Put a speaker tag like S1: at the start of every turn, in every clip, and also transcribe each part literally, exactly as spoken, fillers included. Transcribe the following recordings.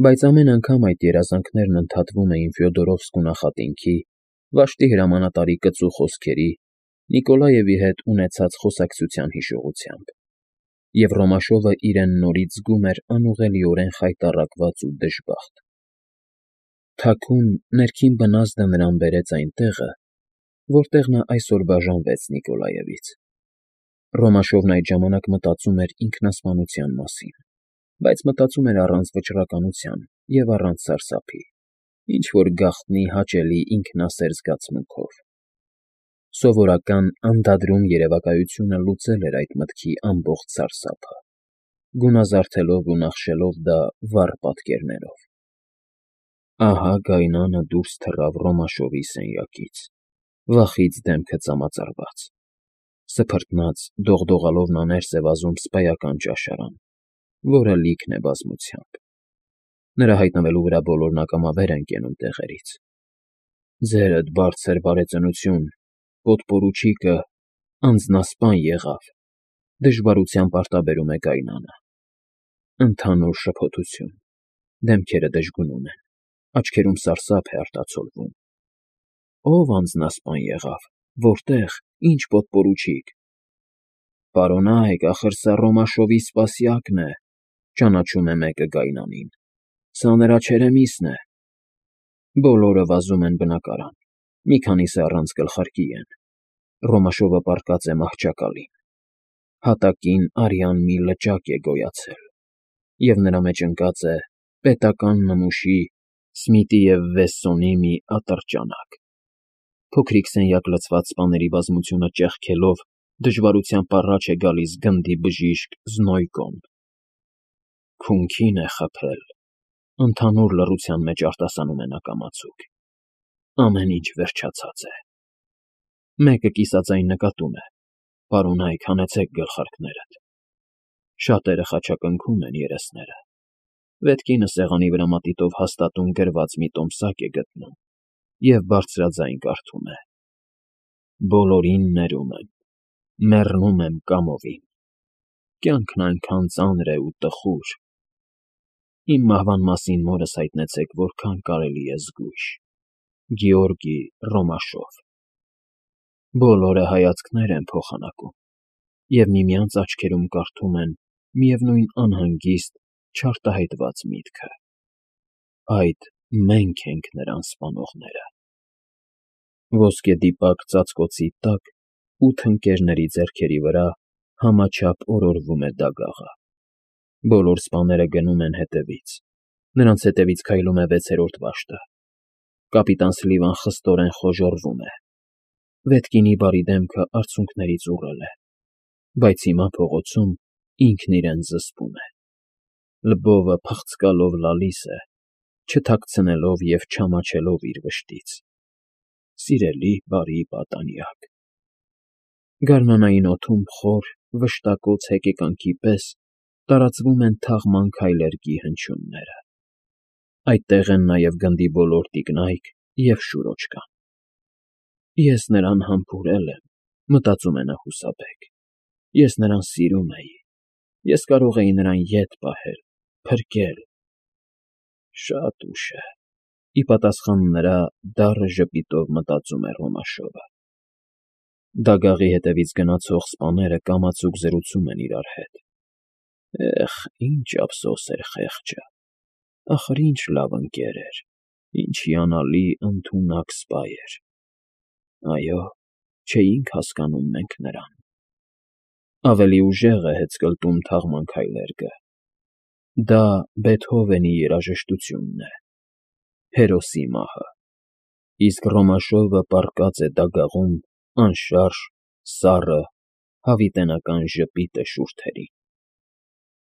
S1: Բայց ամեն անգամ այդ երազանքներն ընդհատվում էին Ֆյոդորովսկու նախատինքի, վշտի հրամանատարի կծու խոսքերի, Նիկոլաևի հետ ունեցած խոսակցության հիշողությամբ, և Ռոմաշովը իրեն նորից զգում էր անուղղելիորեն խայտառակված ու դժբախտ։ Թաքուն, ներքին բնազդը նրան բերեց այն տեղը, որտեղ նա այսօր բաժանվեց Նիկոլաևից։ Ռոմաշովն այդ ժամանակ մտածում էր ինքնասպանության մասին, բայց մտածում էր առանց վճռականության և առանց սարսափի, ինչ֊որ գաղտնի, հաճելի, ինքնասեր զգացմունքով։ Սովորական, անդադրուն երևակայությունը լուծել էր այդ մտքի ամբողջ սարսափը, գունազարդելով ու նախշելով դա վառ պատկերներով։ Ահա գայնանը դուրս թռավ Ռոմաշովի սենյակից, վախից դեմքը ծամածարված, սփռտնաց, դողդողալով նա ներս է վազում սպայական ճաշարան, որը լիքն է բազմությամբ։ Նրա հայտնվելու վրա բոլորն ակամաբեր են կենում տեղերից։ «Ձերդ բարձր բարեծնություն, պոդպորուչիկը անձնասպան եղավ», դժվարությամբ արտաբերում է գայնանը։ Ընդհանուր շփոթություն, դեմքերը դժգունուն են, աչքերում սարսափ է արտացոլվում։ Ո՞վ անձնասպան եղավ, որտե՞ղ, ի՞նչ պոդպորուչիկ։ Պարոնայք, ախր սա Ռոմաշովի սպասյակն է, ճանաչում է մեկը գայնանին, սա նրա չերեմիսն է։ Բոլորը վազում են բնակարան, մի քանիսը առանց գլխարկի են, Ռոմաշովը պառկած է մահճակալին, հատակին արյան մի լճակ է գոյացել, և նրա մեջ ընկած է պետական նմուշի Սմիթի և Վեսսոնի մի ատրճանակ։ Փոքրիկ սենյակ լցված սպաների բազմությունը ճեղքելով դժվարությամբ առաջ է գալիս գնդի բժիշկ Զնոյկոն։ Քունքին է խփել, ընդհանուր լռության մեջ արտասանում է նա կամացուկ։ Ամեն ինչ վերջացած է։ Մեկը կիսաձայն նկատում է. «Պարոնայք, հանեցեք գլխարկներդ»։ Շատերը խաչակնքում են երեսները։ Ետկինը սեղանի վրա մատիտով հաստատուն գրված մի տոմսակ է գտնում և բարձրաձայն կարդում է. «Բոլորին ներում եմ, մեռնում եմ կամովին, կյանքն այնքան ծանր է ու տխուր։ Իմ մահվան մասին մորս հայտնեցեք որքան կարելի է զգույշ։ Գեորգի Ռոմաշով»։ Բոլորը հայացքներ են փոխանակում և միմյանց աչքերում կարդում են միևնույն անհանգիստ, չարտահայտված միտքը. այդ մենք ենք նրան սպանողները։ Ոսկեդիպակ ծածկոցի տակ ութ ընկերների ձեռքերի վրա համաչափ օրորվում է դագաղը։ Բոլոր սպաները գնում են հետևից, նրանց հետևից քայլում է վեցերորդ վաշտը։ Կապիտան Սլիվան խստորեն խոժոռվում է։ Վետկինի բարի դեմքը արցունքներից ուռել է, բայց հիմա փողոցում ինքն իրեն զսպում է։ Լբովը փղծկալով լալիս է, չթաքցնելով և չամաչելով իր վշտից։ Սիրելի, բարի պատանյակ։ Գարնանային օդում խոր, վշտակոց հեկեկանքի պես տարածվում են թաղման քայլերգի հնչյունները։ Այդտեղ են նաև գնդի բոլոր տիկնայք և շուրոճկան։ Ես նրան համբուրել եմ, մտածում է նա հուսաբեկ։ Ես նրան սիրում էի, ես կարող էի նրան ետ պահել, փրկել։ Շատ ուշ է, ի պատասխան նրա դառը ժպիտով մտածում է Ռոմաշովը։ Դագաղի հետևից գնացող սպաները կամացուկ զրուցում են իրար հետ։ Էխ, ինչ ափսոս էր խեղճը, ախր ինչ լավ ընկեր էր, ինչ հիանալի, ընդունակ սպա էր։ Այո, չէինք հասկանում մենք նրան։ Ավելի ուժեղ է հեծկլտում թաղման քայլերգը։ Դա Բեթհովենի երաժշտությունն է, հերոսի մահը, իսկ Ռոմաշովը պառկած է դագաղում, անշարժ, սառը, հավիտենական ժպիտ է շուրթերին։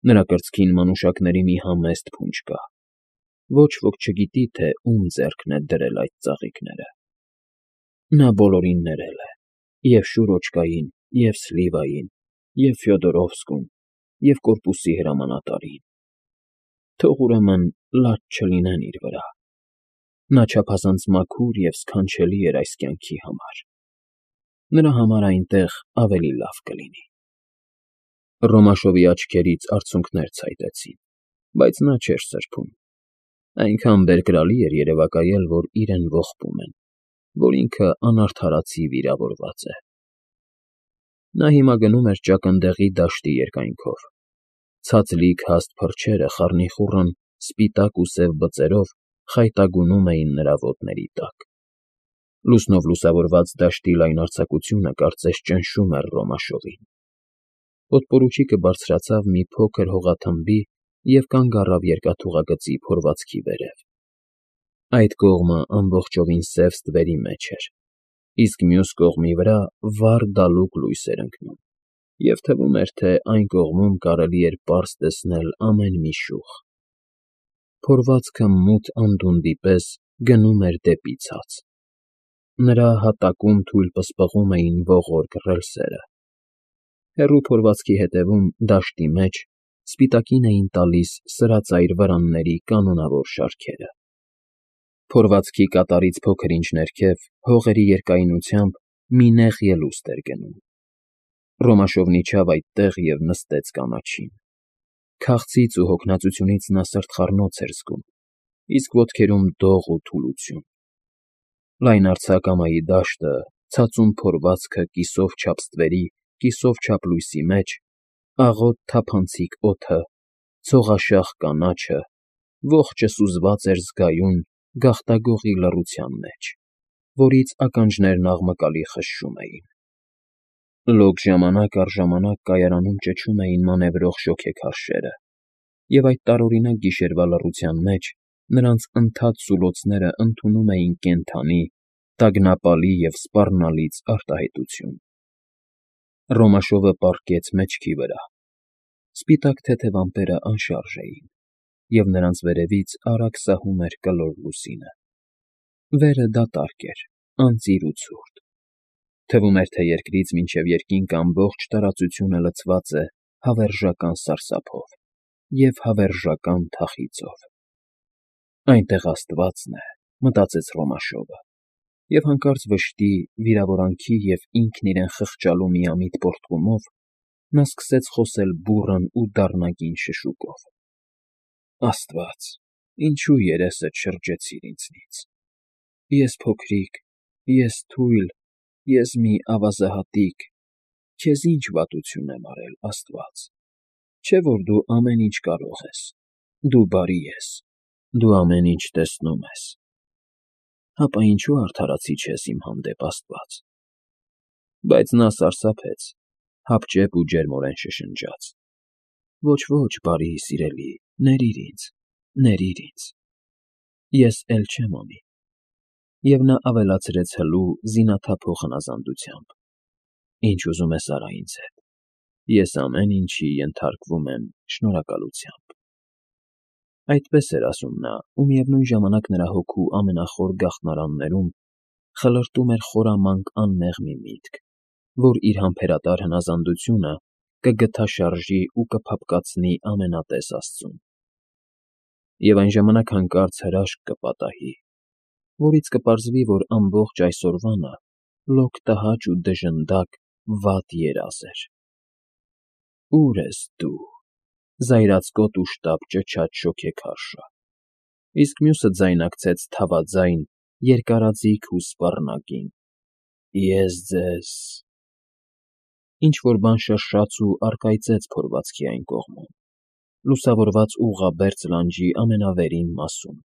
S1: Նրա կրծքին մանուշակների մի համեստ փունջ կա։ Ոչ ոք չգիտի, թե ում ձեռքն է դրել այդ ծաղիկները։ Նա բոլորին ներել է. և Շուրոճկային, և Սլիվային, և Ֆյոդորովսկուն, և կորպուսի հրամանատարին։ Թող ուրեմն լաց չլինեն իր վրա։ Նա չափազանց մաքուր և սքանչելի էր այս կյանքի համար։ Նրա համար այնտեղ ավելի լավ կլինի։ Ռոմաշովի աչքերից արցունքներ ցայտեցին, բայց նա չէր սրբում։ Այնքան բերկրալի էր երևակայել, որ իրեն ողբում են, որ ինքը անարդարացի վիրավորված է։ Նա հիմա գնում էր ճակնդեղի դաշտի երկայնքով։ Ցածլիկ հաստ փրչերը խառնիխուռն սպիտակ ու սև բծերով խայտագունում էին նրա ոտների տակ։ Լուսնով լուսավորված դաշտի լայնարձակությունը կարծես ճնշում էր Ռոմաշովին։ Պոդպորուչիկը բարձրացավ մի փոքր հողաթմբի և կանգ առավ երկաթուղագծի փորվածքի վերև։ Այդ կողմը ամբողջովին սև ստվերի մեջ էր, իսկ մյուս կողմի վրա վառ դալուկ լույս էր ընկնում, և թվում էր, թե այն կողմում կարելի էր պարզ տեսնել ամեն մի շուխ։ Փորվածքը մութ անդունդի պես գնում էր դեպի ցած։ Նրա հատակում թույլ պսպղում էին ողորկ ռելսերը։ Հեռու փորվածքի ետևում, դաշտի մեջ, սպիտակին էին տալիս սրածայր վրանների կանոնավոր շարքերը։ Փորվածքի կատարից փոքր-ինչ ներքև, հողերի երկայնությամբ, մի նեղ ելուստ էր գնում։ Ռոմաշովն իջավ այդտեղ և նստեց կանաչին։ Քաղցից ու հոգնածությունից նա սրտխառնոց էր զգում, իսկ ոտքերում դող ու թուլություն։ Լայնարձակ ամայի դաշտը, ցածուն փորվածքը կիսով չափ ստվերի, կիսով չափ լույսի մեջ, աղոտ թափանցիկ օդը, ցողաշաղ կանաչը, ողջը սուզված էր զգայուն, գաղտագողի լռության մեջ, որից ականջներն աղմկալի խշշում էին։ Լոկ ժամանակ առ ժամանակ կայարանում ճչում էին մանևրող շոգեքարշերը, և այդ տարօրինակ գիշերվա լռության մեջ նրանց ընդհատ սուլոցները ընդունում էին կենդանի, տագնապալի և սպառնալից արտահայտություն։ Ռոմաշովը պառկեց մեջքի վրա։ Սպիտակ թեթև ամպերը անշարժ էին, և նրանց վերևից արագ սահում էր կլոր լուսինը։ Վերը դատարկ էր, անծիր ու ցուրտ։ Թվում էր, թե երկրից մինչև երկինք ամբողջ տարածությունը լցված է հավերժական սարսափով և հավերժական թախիծով։ Այնտեղ աստվածն է, մտածեց Ռոմաշովը, և հանկարծ վշտի, վիրավորանքի և ինքն իրեն խղճալու միամիտ պոռթկումով նա սկսեց խոսել բուռն ու դառնագին շշուկով. «Աստված, ինչո՞ւ երեսդ շրջեցիր ինձնից։ Ես փոքրիկ, ես թույլ, ես մի ավազահատիկ, քեզ ի՞նչ վատություն եմ արել, աստված։ Չէ՞ որ դու ամեն ինչ կարող ես, դու բարի ես, դու ամեն ինչ տեսնում ես։ Հապա ինչո՞ւ արդարացի չես իմ հանդեպ, աստված»։ Բայց նա սարսափեց, հապճեպ ու ջերմորեն շշնջաց. «Ոչ, ոչ, բարի սիրելի, ներիր ինձ, ներիր ինձ, ես էլ չեմ անի»։ Եվ նա ավելացրեց հլու, զինաթափող հնազանդությամբ. «Ինչ ուզում ես արա ինձ հետ, ես ամեն ինչի ենթարկվում եմ շնորհակալությամբ»։ Այդպես էր ասում նա, ու միևնույն ժամանակ նրա հոգու ամենախոր գաղտնարաններում խլրտում էր խորամանկ անմեղ մի միտք, որ իր համբերատար հնազանդությունը կգթաշարժի ու կփափկացնի ամենատես Աստծուն։ Եվ այն ժամանակ հանկարծ հրաշք կպատահի, որից կպարզվի, որ ամբողջ այսօրվանը լոկ տհաճ ու դժնդակ վատ երազ էր։ «Ո՞ւր ես դու, զայրացկոտ ու շտապ ճչաց շոգեքարշը»։ Իսկ մյուսը ձայնարկեց թավաձայն, երկարաձիգ ու սպառնագին. «Ես ձեզ…»։ Ինչ֊որ բան շրշաց ու առկայծեց փորվածքի այն կողմում, լուսավորված ուղղաբերձ լանջի ամենավերին մասում։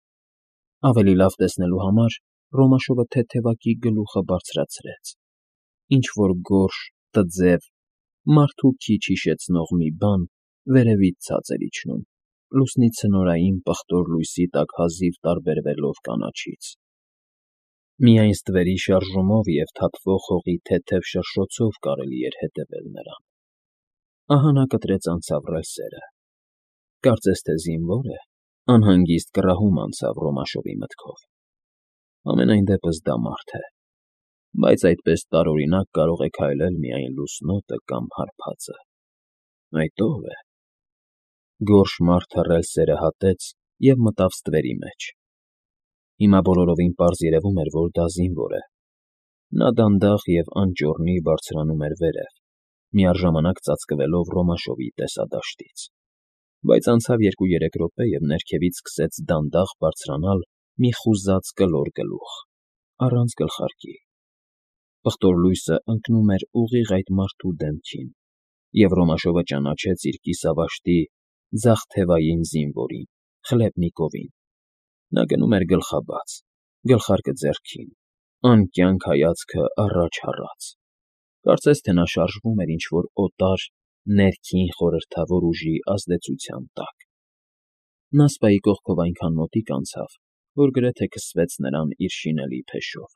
S1: Ավելի լավ տեսնելու համար Ռոմաշովը թեթևակի գլուխը բարձրացրեց։ Ինչ֊որ գորշ, տձև, մարդու քիչ հիշեցնող մի բան վերևից ցած էր իջնում, լուսնի ցնորային պղտոր լույսի տակ հազիվ տարբերվելով կանաչից։ Միայն ստվերի շարժումով և թափվող հողի թեթև շրշոցով կարելի էր հետևել նրան։ Ահա նա կտրեց անցավ ռելսերը։ Կարծես թե զինվոր է, անհանգիստ կռահում անցավ Ռոմաշովի մտքով։ Համենայն դեպս դա մարդ է, բայց այդպես տարօրինակ կարող է քայլել միայն լուսնոտը կամ հարբածը։ Այդ ո՞վ է։ Գորշ մարդը ռելսերը հատեց և մտավ ստվերի մեջ։ Հիմա բոլորովին պարզ երևում էր, որ դա զինվոր է։ Նա դանդաղ և անճոռնի բարձրանում էր վերև, միաժամանակ ծածկվելով Ռոմաշովի տեսադաշտից։ Բայց անցավ երկու֊երեք րոպե, և ներքևից սկսեց դանդաղ բարձրանալ մի խուզած կլոր գլուխ, առանց գլխարկի. պղտոր լույսը ընկնում էր ուղիղ այդ մարդու դեմքին, և Ռոմաշովը ճանաչեց իր կիսավաշտի ձախ թևային զինվորին՝ Խլեպնիկովին. նա գնում էր գլխաբաց, գլխարկը ձեռքին, անկյանք հայացքը առաջ հառած, կարծես թե նա շարժվում էր ինչ֊որ օտար, ներքին խորհրդավոր ուժի ազդեցության տակ։ Նա սպայի կողքով այնքան մոտիկ անցավ, որ գրեթե քսվեց նրան իր շինելի փեշով.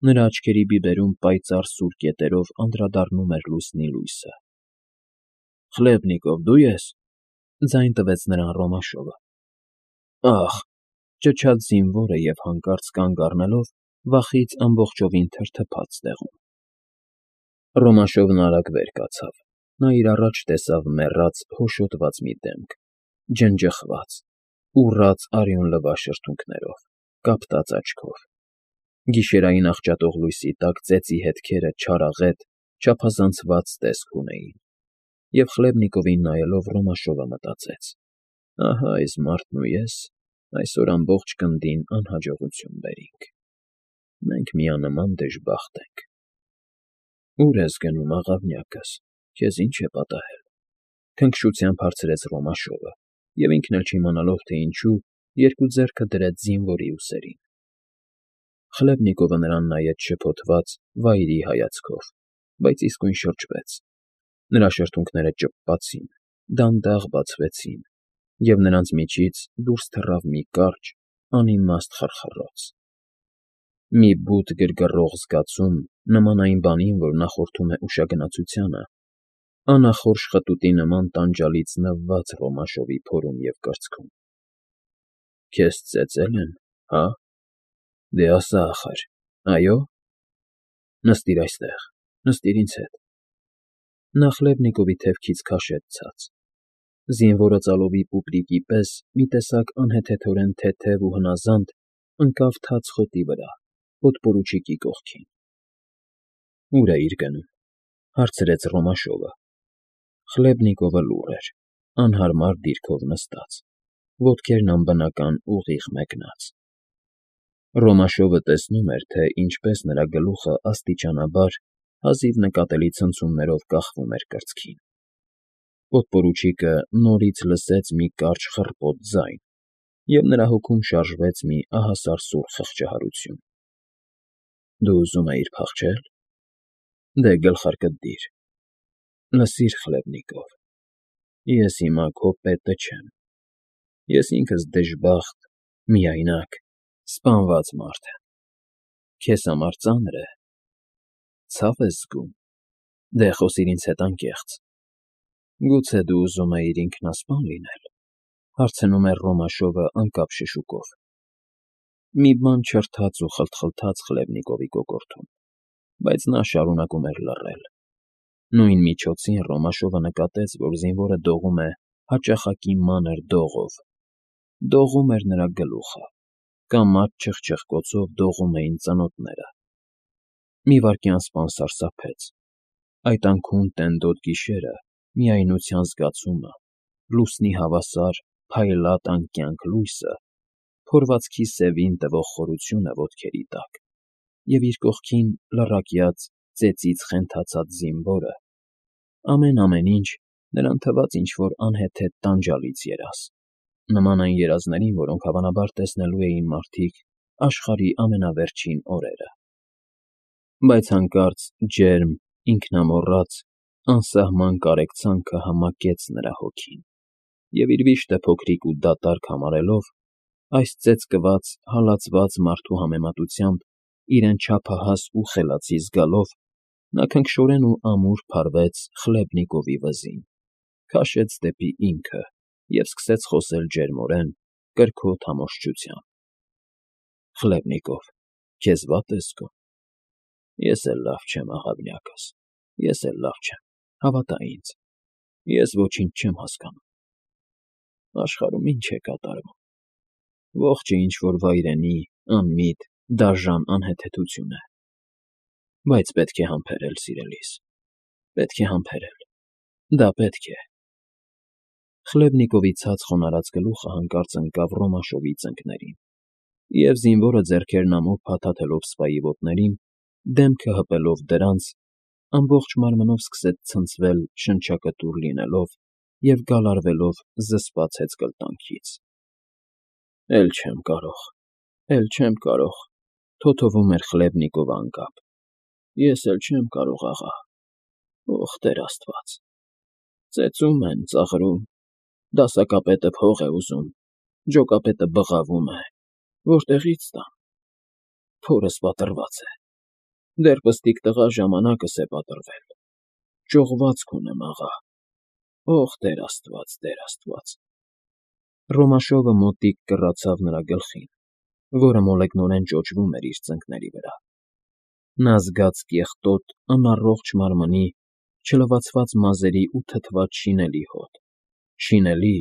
S1: նրա աչքերի բիբերում պայծառ սուր կետերով անդրադառնում էր լուսնի լույսը։ ֊ Խլեպնիկով, դու ե՞ս,֊ ձայն տվեց նրան Ռոմաշովը։ Ա՜խ,֊ ճչաց զինվորը և հանկարծ կանգ առնելով, վախից ամբողջովին թրթփաց տեղում։ Ռոմաշովն արագ վեր կացավ. նա իր առաջ տեսավ մեռած, հոշոտված մի դեմք, ջնջխված, ուռած արյուն լվա շրթունքներով, կապտած աչքով. գիշերային աղճատող լույսի տակ ծեծի հետքերը չարաղետ, չափազանցված տեսք ունեին, և Խլեպնիկովին նայելով Ռոմաշովը մտածեց. ահա այս մարդն ու ես այսօր ամբողջ գնդին անհաջողություն բերինք, մենք միանման դժբախտ ենք։ Ո՞ւր ես գնում, աղավնյակս, քեզ ի՞նչ է պատահել,֊ քնքշությամբ հարցրեց Ռոմաշովը, և ինքն էլ չիմանալով, թե ինչու, երկու ձեռքը դրեց զինվորի ուսերին։ Խլեպնիկովը նրան նայեց շփոթված, վայրի հայացքով, բայց իսկույն շրջվեց. նրա շրթունքները ճպպացին, դանդաղ բացվեցին, և նրանց միջից դուրս թռավ մի կարճ, անիմաստ խռխռոց, մի բութ գրգռող զգացում, նման այն բանին, որ նախորդում է ուշագնացությանը, անախորժ խտուտի նման տանջալից նվված Ռոմաշովի փորում և կրծքում։ ֊ Քեզ ծեծե՞լ են, հա՞, դե ասա ախար, այո՞։ Նստիր այստեղ, նստիր ինձ հետ։ Նա Խլեպնիկովի թևքից քաշեց ցած. զինվորը ծալովի պուպրիկի պես մի տեսակ անհեթեթորեն թեթև ու հնազանդ ընկավ թաց խոտի վրա, podպորուչիկի կողքին։ ֊ Ո՞ւր էիր գնում,֊ հարցրեց Ռոմաշովը։ Խլեպնիկովը լուռ էր, անհարմար դիրքով նստած, ոտքերն անբնական ուղիղ մեկնած։ Ռոմաշովը տեսնում էր, թե ինչպես նրա գլուխը աստիճանաբար, հազիվ նկատելի ցնցումներով կախվում էր կրծքին։ Podպորուչիկը նորից լսեց մի կարճ խռպոտ ձայն, և նրա հոգում շարժվեց մի ահասարսուռ խղճահարություն։ ֊ Դու ուզում էիր փախչե՞լ։ Դե գլխարկդ դիր։ Լսիր, Խլեպնիկով, ես հիմա քո պետը չեմ, ես ինքս դժբախտ, միայնակ, սպանված մարդ եմ։ Քեզ համար ծա՞նր է, ցավ ես զգում, դե խոսիր ինձ հետ անկեղծ։ Գուցե դու ուզում էիր ինքնասպա՞ն լինել,֊ հարցնում էր Ռոմաշովը անկապ շշուկով։ Մի բան չրթաց ու խլթխլթաց Խլեպնիկովի կոկորդում, բայց նա շարունակում էր լռել։ Նույն միջոցին Ռոմաշովը նկատեց, որ զինվորը դողում է հաճախակի մանր դողով, դողում էր նրա գլուխը, կամաց֊չխչխկոցով դողում էին ծնոտները։ Մի վայրկյան սպան սարսափեց. այդ անքուն տենդոտ գիշերը, միայնության զգացումը, լուսնի հավասար, փայլատ անկյանք լույսը, փորվածքի սևին տվող խորությունը ոտքերի տակ, և իր կողքին լռակյաց, ծեծից խենթացած զինվորը, ամեն֊ամեն ինչ նրան թվաց ինչ֊որ անհեթեթ տանջալից երազ, նման այն երազներին, որոնք հավանաբար տեսնելու էին մարդիկ աշխարհի ամենավերջին օրերը։ Բայց հանկարծ ջերմ, ինքնամոռաց, անսահման կարեկցանքը համակեց նրա հոգին, և իր վիշտը փոքրիկ ու դատարկ համարելով, այս ծեծկված, հալածված մարդու համեմատությամբ իրեն չափահաս ու խելացի զգալով, նա քնքշորեն ու ամուր փարվեց Խլեպնիկովի վզին, քաշեց դեպի ինքը և սկսեց խոսել ջերմորեն, կրքոտ համոզչությամբ. Խլեպնիկով, քեզ վա՞տ է զգում։ Ես էլ լավ չեմ, աղավնյակս, ես էլ լավ չեմ, հավատա ինձ, ես ոչինչ չեմ հասկանում։ Աշխարհում ի՞նչ է կատարվում։ Ողջը ինչ֊որ վայրենի, անմիտ, դաժան անհեթեթություն է։ Բայց պետք է համբերել, սիրելիս, պետք է համբերել, դա պետք է։ Խլեբնիկովի ցած խոնարհած գլուխը հանկարծ ընկավ Ռոմաշովի ծնկներին, և զինվորը ձեռքերն ամուր փաթաթելով սպայի ոտներին, դեմքը հպելով դրանց, ամբողջ մարմնով սկսեց ցնցվել շնչակտուր լինելով և գալարվելով զսպած հեծկլտանքից։ ֊ Էլ չեմ կարող, էլ չեմ կարող,֊ թոթովում էր Խլեբնիկովը անկապ,֊ ես էլ չեմ կարող, աղա, ոխ Տեր աստված… Ծեծում են, ծաղրում, դասակապետը փող է ուզում, ջոկապետը բղավում է, որտեղի՞ց տամ… Փորս պատռված է, դեռ պստիկ տղա ժամանակս է պատռվել, ճողվածք ունեմ, աղա, ոխ Տեր աստված, Տեր աստված… Ռոմաշովը մոտիկ կռացավ նրա գլխին, որը մոլեգնորեն ճոճվում էր իր ծնկների վրա։ Նա զգաց կեղտոտ, անառողջ մարմնի, չլվացված մազերի ու թթված շինելի հոտ, շինելի,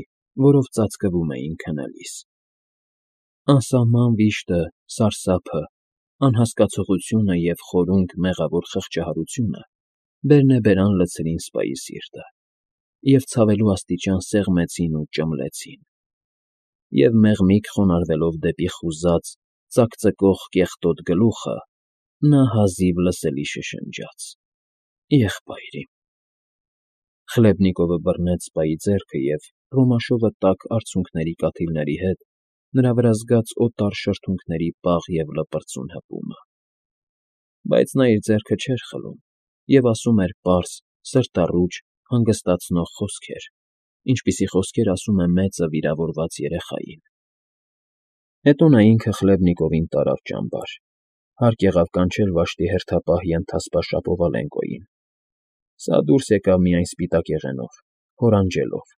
S1: որով ծածկվում էին քնելիս… Անսահման վիշտը, սարսափը, անհասկացողությունը և խորունկ, մեղավոր խղճահարությունը բերնեբերան լցրին սպայի սիրտը և ցավելու աստիճան սեղմեցին ու ճմլեցին… Եվ մեղմիկ խոնարհվելով դեպի խուզած, ծակծկող կեղտոտ գլուխը, նա հազիվ լսելի շշնջաց. «Եղբայր իմ»… Խլեբնիկովը բռնեց սպայի ձեռքը և, Ռոմաշովը տաք արցունքների կաթիլների հետ, նրա վրա զգաց օտար շրթունքների պաղ և լպրծուն հպումը… Բայց նա իր ձեռքը չէր խլում և ասում էր պարզ, սրտառուչ, հանգստացնող խոսքեր, ինչպիսի խոսքեր ասում է մեծը վիրավորված երեխային… Հետո նա ինքը Խլեբնիկովին տարավ ճամբար, հարկ եղավ կանչել վաշտի հերթապահ ենթասպա Շապովալենկոյին… Սա դուրս եկավ միայն սպիտակ եղենով, հորանջելով,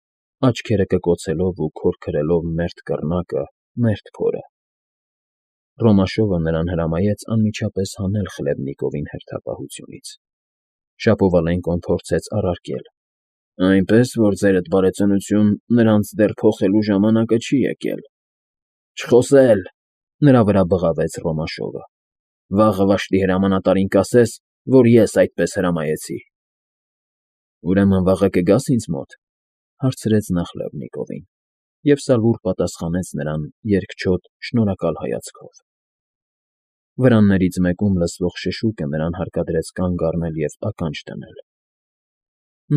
S1: աչքերը կկոցելով ու քորքրելով մերթ կռնակը, մերթ փորը… Ռոմաշովը նրան հրամայեց անմիջապես հանել Խլեբնիկովին հերթապահությունից… Շապովալենկոն փորձեց առարկել. «Այնպես որ, ձերդ բարեծնություն, նրանց դեռ փոխելու ժամանակը չի եկել»… Չխոսել,֊ նրա վրա բղավեց Ռոմաշովը,֊ վաղը վաշտի հրամանատարին կասես, որ ես այդպես հրամայեցի… ֊ Ուրեմն վաղը կգա՞ս ինձ մոտ,֊ հարցրեց նա Խլեբնիկովին, և սալուր պատասխանեց նրան երկչոտ, շնորհակալ հայացքով… Վրաններից մեկում լսվող շշուկը նրան հարկադրեց կանգ առնել և ականջ դնել…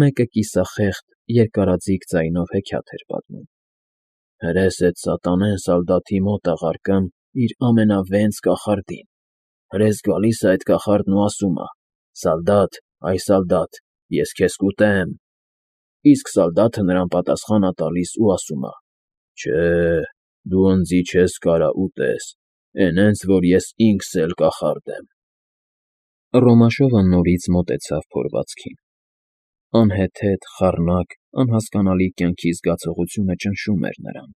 S1: Մեկը կիսախեղդ, երկարաձիգ ձայնով հեքիաթ էր պատմում. Հրես էդ սատանեն սալդաթի մոտ աղարկըմ իր ամենավենց կախարդին, հրես գալիս ա էդ կախարդն ու ասում ա. «Սալդատ, այ սալդատ, ես քեզ կուտեմ»… Իսկ սալդաթը նրան պատասխան ա տալիս ու ասում ա. «Չէ, դու ընձի չես կարա ուտես, էն հենց որ ես ինքս էլ կախարդ եմ»… Ռոմաշովը նորից մոտեցավ փորվածքին… Անհեթեթ, խառնակ, անհասկանալի կյանքի զգացողությունը ճնշում էր նրան…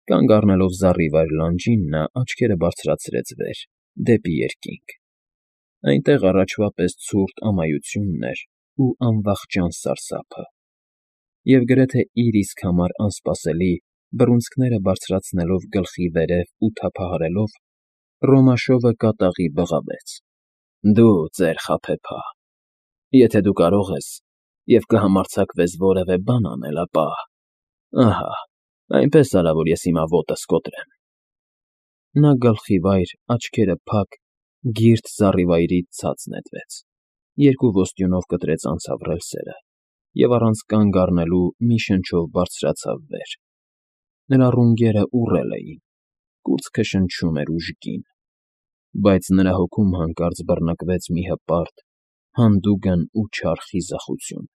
S1: Կանգ առնելով զառիվայր լանջին, նա աչքերը բարձրացրեց վեր, դեպի երկինք… Այնտեղ առաջվա պես ցուրտ ամայությունն էր ու անվախճան սարսափը… Եվ գրեթե իր իսկ համար անսպասելի, բռունցքները բարձրացնելով գլխի վերև ու թափահարելով, Ռոմաշովը կատաղի բղավեց. «Դու, ծեր խաբեբա… Եթե դու կարող ես և կհամարձակվես որևէ բան անել, ապա… ահա, այնպես արա, որ ես հիմա ոտս կոտրեմ»… Նա գլխիվայր, աչքերը փակ, գիրտ զառիվայրից ցած նետվեց, երկու ոստյունով կտրեց անցավ ռելսերը և առանց կանգ առնելու մի շնչով բարձրացավ վեր… Նրա ռունգերը ուռել էին, կուրծքը շնչում էր ուժգին… Բայց նրա հոգում հանկարծ բռնկվեց մի հպարտ, հանդուգն ու չար խիզախություն…